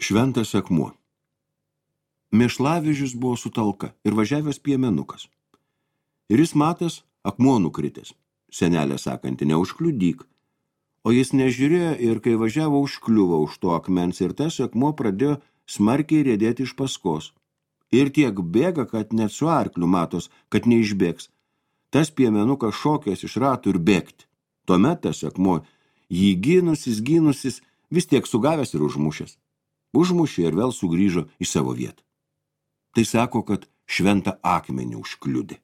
Šventas akmuo. Mėšlavežis buvo su talka ir važiavęs piemenukas. Ir jis matęs akmuo nukritęs. Senelė sakanti, neužkliudyk. O jis nežiūrėjo ir kai važiavo užkliuvo už to akmens ir tas akmuo pradėjo smarkiai riedėti iš paskos. Ir tiek bėga, kad net su arkliu matos, kad neišbėgs. Tas piemenukas šokęs iš ratų ir bėgti. Tuomet tas akmuo jį gynusis, vis tiek sugavęs ir užmušęs. Užmušė ir vėl sugrįžo į savo vietą. Tai sako, kad šventą akmenį užkliudė.